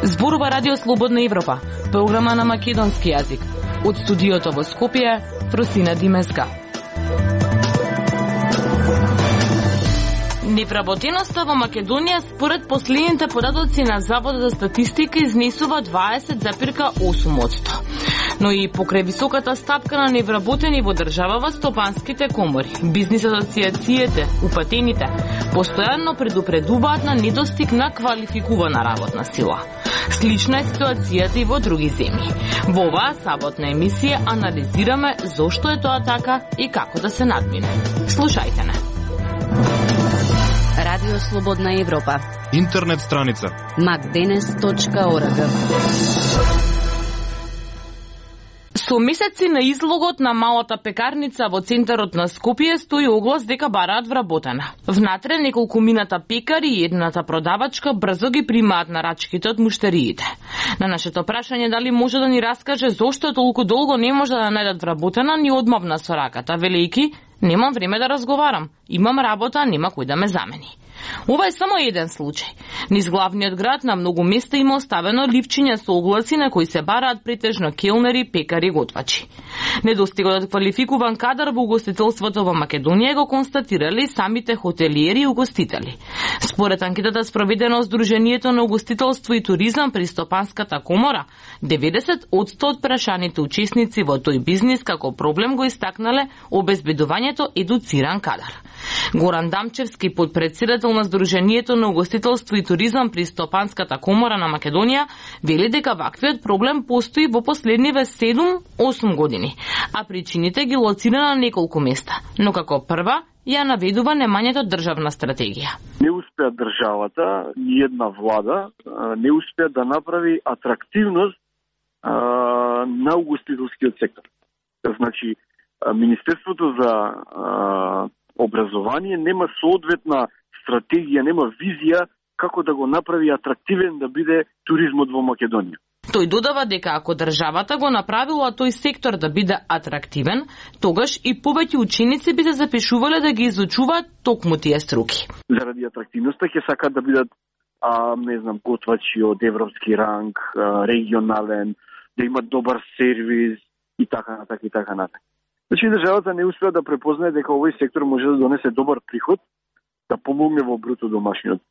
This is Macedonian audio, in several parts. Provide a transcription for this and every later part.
Зборува Радио Слободна Европа, програма на македонски јазик. Од студиото во Скопје, Просина Димеска. Невработеноста во Македонија според последните податоци на Заводот за статистика изнесува 20,8%. Но и покрај високата стапка на невработени во државава, стопанските комори, бизнис асоциациите, упатените, постојано предупредуваат на недостиг на квалификувана работна сила. Слична е ситуацијата и во други земји. Во оваа саботна емисија анализираме зошто е тоа така и како да се надмине. Слушајте не. Радио Слободна Европа. Интернет страница macdenes.org. Со месеци на излогот на малата пекарница во центарот на Скопје стои оглас дека бараат вработена. Внатре неколку мината пекари и едната продавачка брзо ги примаат нарачките од муштериите. На нашето прашање дали може да ни раскаже зошто толку долго не може да најдат вработена, ни одмавна со раката, велејки: немам време да разговарам, имам работа, нема кој да ме замени. Ова е само еден случај. Низ главниот град на многу места има оставено ливчиња со огласи на кои се бараат претежно келнери, пекари, готвачи. Недостигот од квалификуван кадар во угостителството во Македонија го констатирали самите хотелиери и угостители. Според анкетата спроведена од Сдруженијето на угостителство и туризам при Стопанската комора, 90% од прашаните учесници во тој бизнис како проблем го истакнале обезбедувањето едуциран кадар. Горан Дамчевски, подпредседател на Сдруженијето на угостителство и туризам при Стопанската комора на Македонија, вели дека ваквиот проблем постои во последниве 7-8 години, а причините ги лоцира на неколку места, но како прва ја наведува немањето државна стратегија. Не успеа државата и една влада не успеа да направи атрактивност на угостителскиот сектор. Значи, Министерството за образование нема соодветна стратегија, нема визија како да го направи атрактивен да биде туризмот во Македонија. Тој додава дека ако државата го направила тој сектор да биде атрактивен, тогаш и повеќе ученици би се запишувале да ги изучуваат токму тие струки. Заради атрактивноста ќе сакаат да бидат готвачи од европски ранг, регионален, да имат добар сервис и така натака и така натака. Значи државата не успеа да препознае дека овој сектор може да донесе добар приход, да помогне во бруто домашниот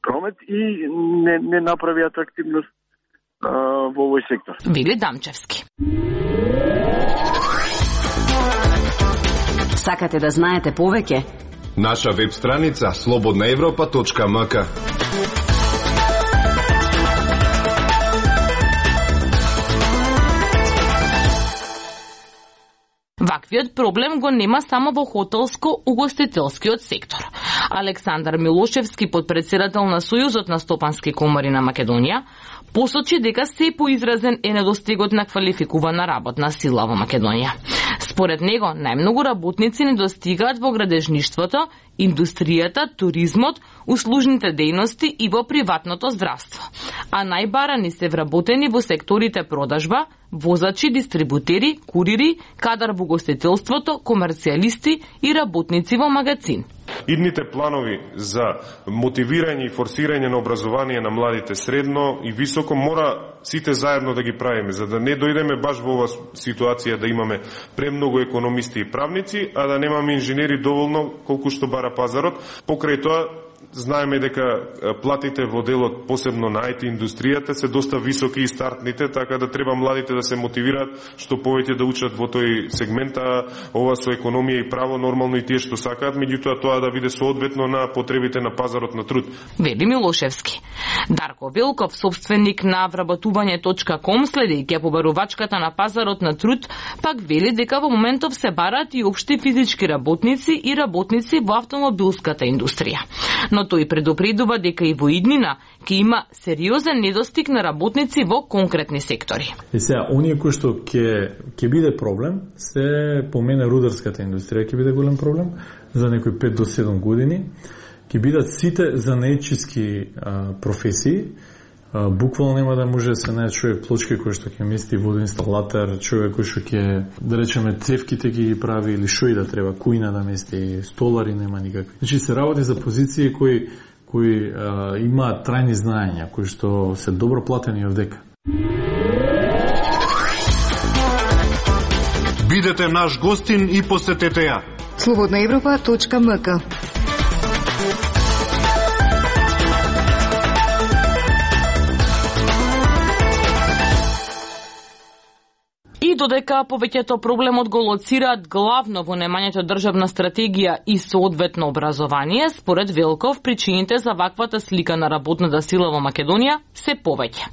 промет и не направи атрактивност во овој сектор. Вели Дамчевски. Сакате да знаете повеќе? Наша веб страница slobodnaevropa.mk. Ваквиот проблем го нема само во хотелско-угостителскиот сектор. Александар Милошевски, подпредседател на Сојузот на стопански комори на Македонија, посочи дека се поизразен е недостигот на квалификувана работна сила во Македонија. Според него, најмногу работници недостигаат во градежништвото, индустријата, туризмот, услужните дејности и во приватното здравство. А најбарани се вработени во секторите продажба, возачи, дистрибутери, курири, кадар во угостителството, комерцијалисти и работници во магазин. Идните планови за мотивирање и форсирање на образование на младите средно и високо мора сите заедно да ги правиме, за да не дојдеме баш во оваа ситуација да имаме премногу економисти и правници, а да немаме инженери доволно колку што бара пазарот. Покрај тоа, знаеме дека платите во делот, посебно на IT индустријата, се доста високи и стартните, така да треба младите да се мотивираат што повеќе да учат во тој сегмент, а ова со економија и право нормално и тие што сакаат, меѓутоа тоа да биде соодветно на потребите на пазарот на труд. Вели Милошевски. Дарко Велков, собственик на вработување.com, следејќи побарувачката на пазарот на труд, пак вели дека во моментов се бараат и општи физички работници и работници во автомобилската индустрија. Но тој предупредува дека и во иднина ќе има сериозен недостиг на работници во конкретни сектори. И сега, оние кои што ќе биде проблем, се по мене рударската индустрија ќе биде голем проблем за некои 5 до 7 години. Ќе бидат сите занаетчиски професии, буквално нема да може да се најде човек плочки кој што ќе мести водоинсталатор, човек кој што ќе, да речеме, цевките ќе ги прави или шо и да треба, кујна да мести, столари нема никакви. Значи се работи за позиции кои имаат трајни знаења, кои што се добро платени овдека. Бидете наш гостин и посетете ја. slobodnaevropa.mk. И додека повеќето проблемот го лоцираат главно во немањето државна стратегија и соодветно образование, според Велков, причините за ваквата слика на работната сила во Македонија се повеќе.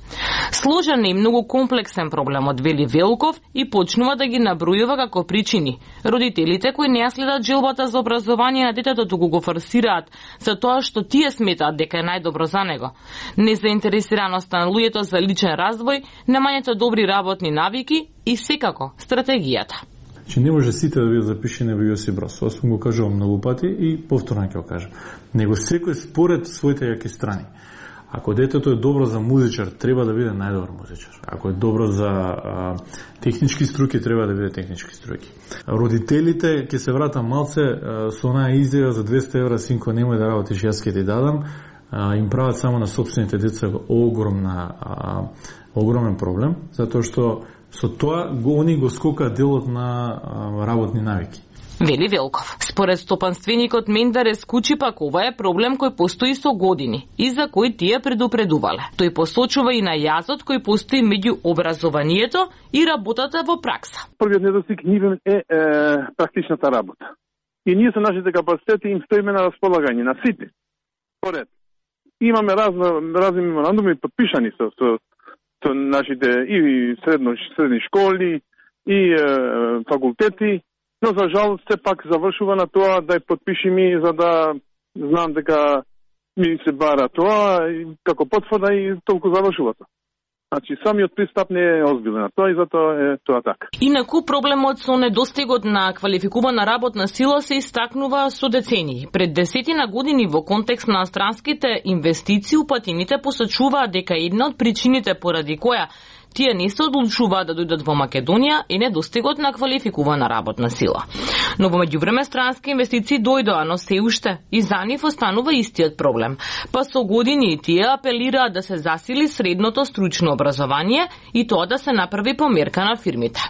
Сложен и многу комплексен проблемот, вели Велков, и почнува да ги набројува како причини. Родителите кои не ја следат желбата за образование на детето, туку го форсираат за тоа што тие сметаат дека е најдобро за него. Незаинтересираноста на луѓето за личен развој, немањето добри работни навики и секако стратегијата. Че не може сите да бидат запишени во Јосип Брос. Ова сум го кажувал многу пати и повторно ќе го кажам. Него секој според своите јаки страни. Ако детето е добро за музичар, треба да биде најдобар музичар. Ако е добро за технички струки, треба да биде технички струки. Родителите, ќе се вратам малце со онаа изјава за 200 евра, синко, немој да работиш, јас ќе ти дадам, им прават само на сопствените деца огромен проблем, затоа што со тоа они го скокаат делот на работни навики. Вели Велков. Според стопанственикот Мендарес Кучи, пак ова е проблем кој постои со години и за кој тие предупредувале. Тој посочува и на јазот кој постои меѓу образованието и работата во пракса. Првиот недостиг нивен е практичната работа. И ние со нашите капацитети им стоиме на располагање на сите. Поред. Имаме разни меморандуми подпишани со нашите и средни школи и факултети, но за жал се пак завршува на тоа да ја подпишеми за да знам дека ми се бара тоа и како потврда и толку завршува тоа. Значи самиот пристап не е озбилен на тоа и затоа е тоа така. Инаку проблемот со недостигот на квалификувана работна сила се истакнува со децении. Пред 10 години во контекст на странските инвестиции упатините посочуваат дека една од причините поради која тие не се одлучуваат да дојдат во Македонија и недостигот на квалификувана работна сила. Но во меѓувреме странски инвестиции дојдоа, но се уште и за нив останува истиот проблем. Па со години тие апелираат да се засили средното стручно образование и тоа да се направи померка на фирмите.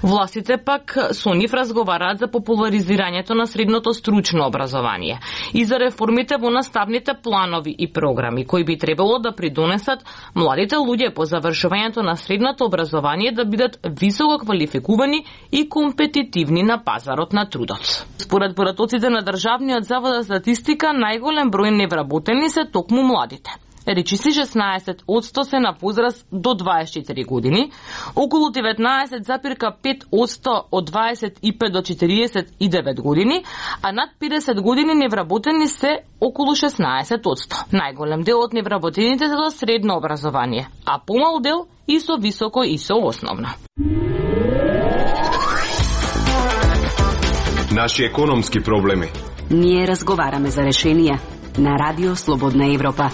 Властите пак со нив разговараат за популаризирањето на средното стручно образование и за реформите во наставните планови и програми кои би требало да придонесат младите луѓе по завршувањето на средното образование да бидат високо квалификувани и компетитивни на пазарот на трудот. Според поратоците на Државниот завод за статистика, најголем број невработени се токму младите. Речиси 16% се на возраст до 24 години, околу 19,5% од 25 до 49 години, а над 50 години невработени се околу 16%. Најголем дел од невработените се до средно образование, а помал дел и со високо и со основно. Наши економски проблеми. Ние разговараме за решенија на Радио Слободна Европа.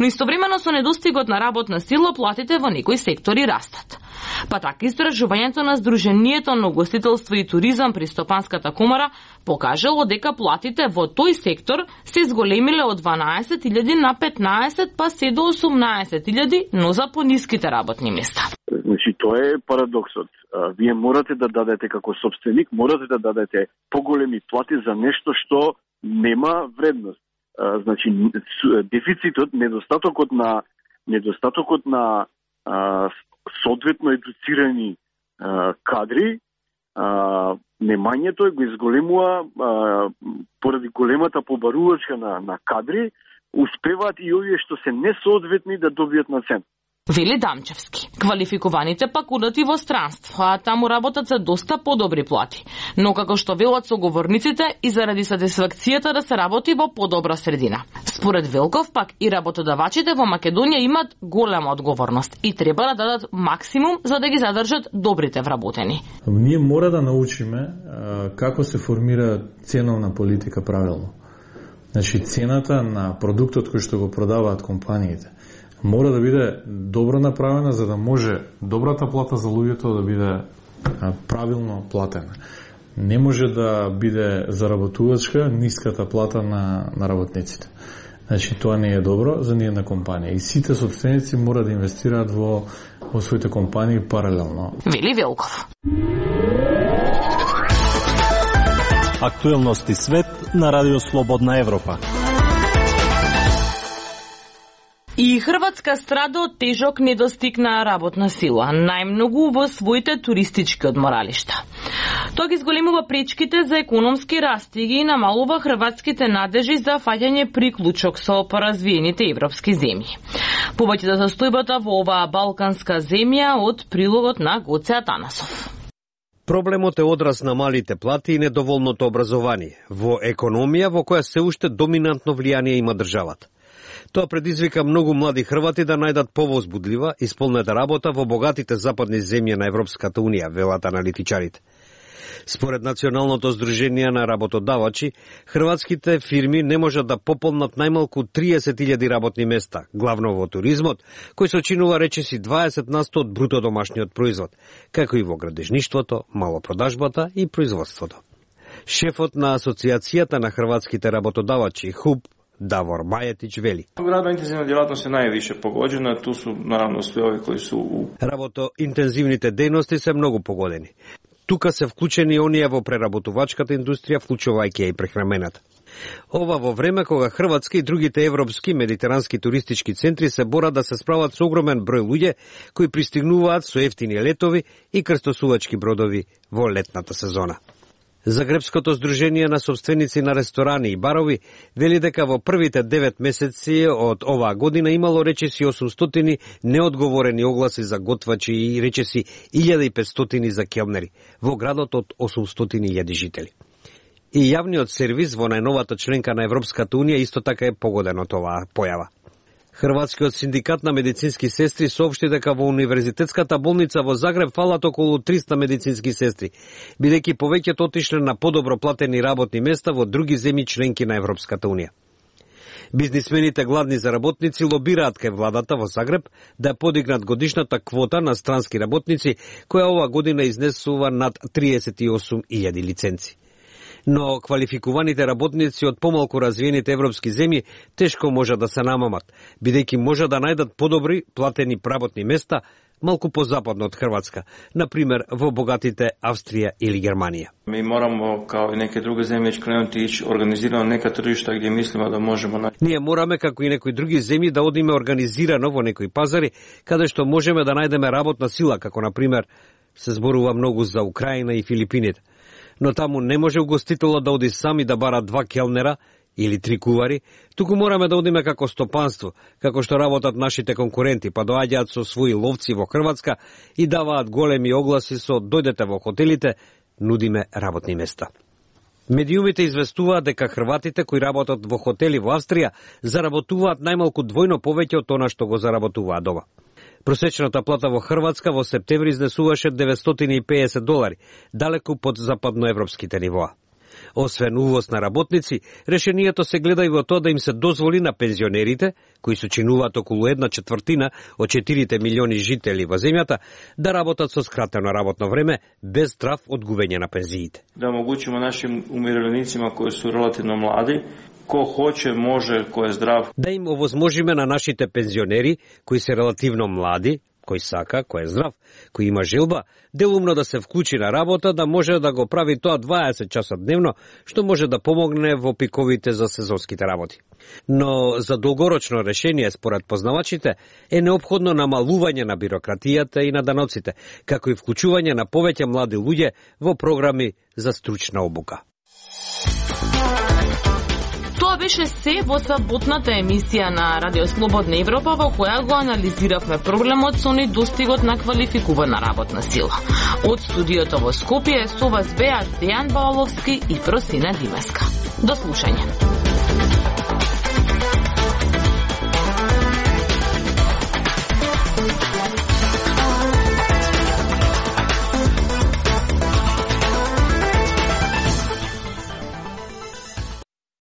Но истовремено со недостигот на работна сила, платите во некои сектори растат. Па така истражувањето на Сдруженијето на угостителство и туризам при Стопанската комора покажало дека платите во тој сектор се зголемиле од 12.000 на 15 па се до 18.000, но за пониските работни места. Значи, тоа е парадоксот. Вие морате да дадете како собственик, морате да дадете поголеми плати за нешто што нема вредност. Значи, дефицитот, недостатокот на соодветно едуцирани кадри, немањето го изголемува поради големата побарувачка на кадри, успеваат и овие што се несоодветни да добијат на цен. Вели Дамчевски. Квалификуваните пак одат и во странство, а таму работат за доста подобри плати. Но како што велат соговорниците, и заради сатисфакцијата да се работи во подобра средина. Според Велков пак и работодавачите во Македонија имат голема одговорност и треба да дадат максимум за да ги задржат добрите вработени. Ние мора да научиме како се формира ценовна политика правилно. Значи цената на продуктот кој што го продаваат компаниите мора да биде добро направена за да може добрата плата за луѓето да биде правилно платена. Не може да биде заработувачка ниската плата на работниците. Значи тоа не е добро за ниедна компанија и сите сопственици мора да инвестираат во своите компании паралелно. Вели Велков. Актуелности свет на Радио Слободна Европа. И Хрватска страда од тежок недостиг на работна сила, најмногу во своите туристички одморалишта. Тоа ги зголемува пречките за економски раст и ги намалува хрватските надежи за фаќање приклучок со поразвиените европски земји. Повеќе за состојбата во оваа балканска земја од прилогот на Гоце Атанасов. Проблемот е одраз на малите плати и недоволното образование во економија во која се уште доминантно влијание има државата. Тоа предизвика многу млади хрвати да најдат повозбудлива и исполнета работа во богатите западни земји на Европската унија, велат аналитичарите. Според Националното здружение на работодавачи, хрватските фирми не можат да пополнат најмалку 30.000 работни места, главно во туризмот, кој сочинува речиси 20% од бруто домашниот производ, како и во градежништвото, малопродажбата и производството. Шефот на Асоциацијата на хрватските работодавачи, ХУБ, Давор Мајетич вели. Работоинтензивна делатност е највише погоджена, ту су наравно сви ови кои су Работоинтензивните дејности се многу погодени. Тука се вклучени оние во преработувачката индустрија, вклучувајќи и прехрамената. Ова во време кога Хрватска и другите европски медитерански туристички центри се борат да се справат со огромен број луѓе кои пристигнуваат со ефтини летови и крстосувачки бродови во летната сезона. Загребското здружение на собственици на ресторани и барови вели дека во првите 9 месеци од оваа година имало речиси 800 неодговорени огласи за готвачи и речиси 1500 за келнери во градот од 800.000 жители. И јавниот сервис во најновата членка на Европската унија исто така е погоден од оваа појава. Хрватскиот синдикат на медицински сестри соопшти дека во Универзитетската болница во Загреб фалат околу 300 медицински сестри, бидејќи повеќето отишле на подобро платени работни места во други земји членки на Европската унија. Бизнисмените гладни за работници лобираат кај владата во Загреб да подигнат годишната квота на странски работници, која ова година изнесува над 38.000 лиценци. Но квалификуваните работници од помалку развиените европски земји тешко може да се намамат, бидејќи може да најдат подобри платени работни места малку позападно од Хрватска, например во богатите Австрија или Германија. Ми морамо, као и неке други земји, кренути ич организирано нека тржишта где мислиме да можеме. Ние мораме, како и некои други земји, да одиме организирано во некои пазари, каде што можеме да најдеме работна сила, како например се зборува многу за Украина и Филипините. Но таму не може угостителот да оди сами да бара 2 келнера или 3 кувари, туку мораме да одиме како стопанство, како што работат нашите конкуренти, па доаѓаат со своји ловци во Хрватска и даваат големи огласи со дојдете во хотелите, нудиме работни места. Медиумите известуваат дека хрватите кои работат во хотели во Австрија заработуваат најмалку двојно повеќе од она што го заработуваат дома. Просечната плата во Хрватска во септември изнесуваше $950, далеку под западноевропските нивоа. Освен увоз на работници, решението се гледа и во тоа да им се дозволи на пензионерите, кои сочинуваат околу 1/4 од 4 милиони жители во земјата, да работат со скратено работно време, без страв од губење на пензиите. Да омотгучиме нашим умиреленицима кои су релативно млади, ко хоче, може, кој е здрав. Да им овозможиме на нашите пензионери, кои се релативно млади, кој сака, кој е здрав, кој има желба, делумно да се вклучи на работа, да може да го прави тоа 20 часа дневно, што може да помогне во пиковите за сезонските работи. Но за долгорочно решение, според познавачите, е неопходно намалување на бирократијата и на даноците, како и вклучување на повеќе млади луѓе во програми за стручна обука. Тоа беше се во саботната емисија на Радио Слободна Европа, во која го анализиравме проблемот со недостигот на квалификувана работна сила. Од студиото во Скопје со вас беа Дејан Баоловски и Просина Димеска. До слушање.